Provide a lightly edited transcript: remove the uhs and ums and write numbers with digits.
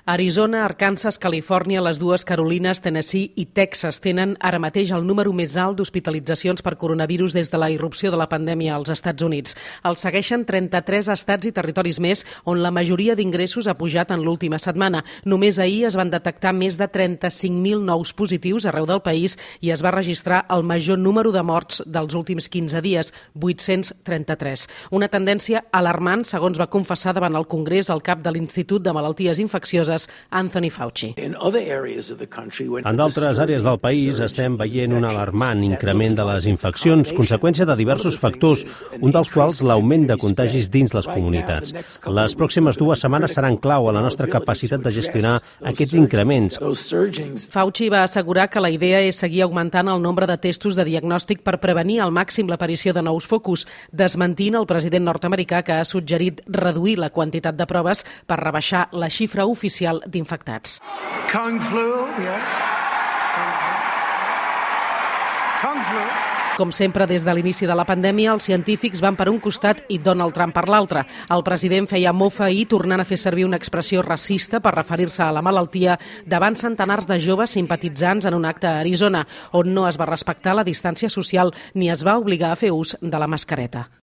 Arizona, Arkansas, Califòrnia, les dues Carolines, Tennessee i Texas tenen ara mateix el número més alt d'hospitalitzacions per coronavirus des de la irrupció de la pandèmia als Estats Units. El segueixen 33 estats i territoris més on la majoria d'ingressos ha pujat en l'última setmana. Només ahir es van detectar més de 35.000 nous positius arreu del país i es va registrar el major número de morts dels últims 15 dies, 833. Una tendència alarmant, segons va confessar davant el Congrés el cap de l'Institut de Malalties Infeccioses, Anthony Fauci. En d'altres àrees del país estem veient un alarmant increment de les infeccions, conseqüència de diversos factors, un dels quals l'augment de contagis dins les comunitats. Les pròximes 2 setmanes seran clau a la nostra capacitat de gestionar aquests increments. Fauci va assegurar que la idea és seguir augmentant el nombre de testos de diagnòstic per prevenir al màxim l'aparició de nous focus, desmentint el president nord-americà que ha suggerit reduir la quantitat de proves per rebaixar la xifra oficial d'infectats. Kung flu, yeah. Kung flu. Com sempre, des de l'inici de la pandèmia, els científics van per un costat i Donald Trump per l'altre. El president feia mofa ahir tornant a fer servir una expressió racista per referir-se a la malaltia davant centenars de joves simpatitzants en un acte a Arizona, on no es va respectar la distància social ni es va obligar a fer ús de la mascareta.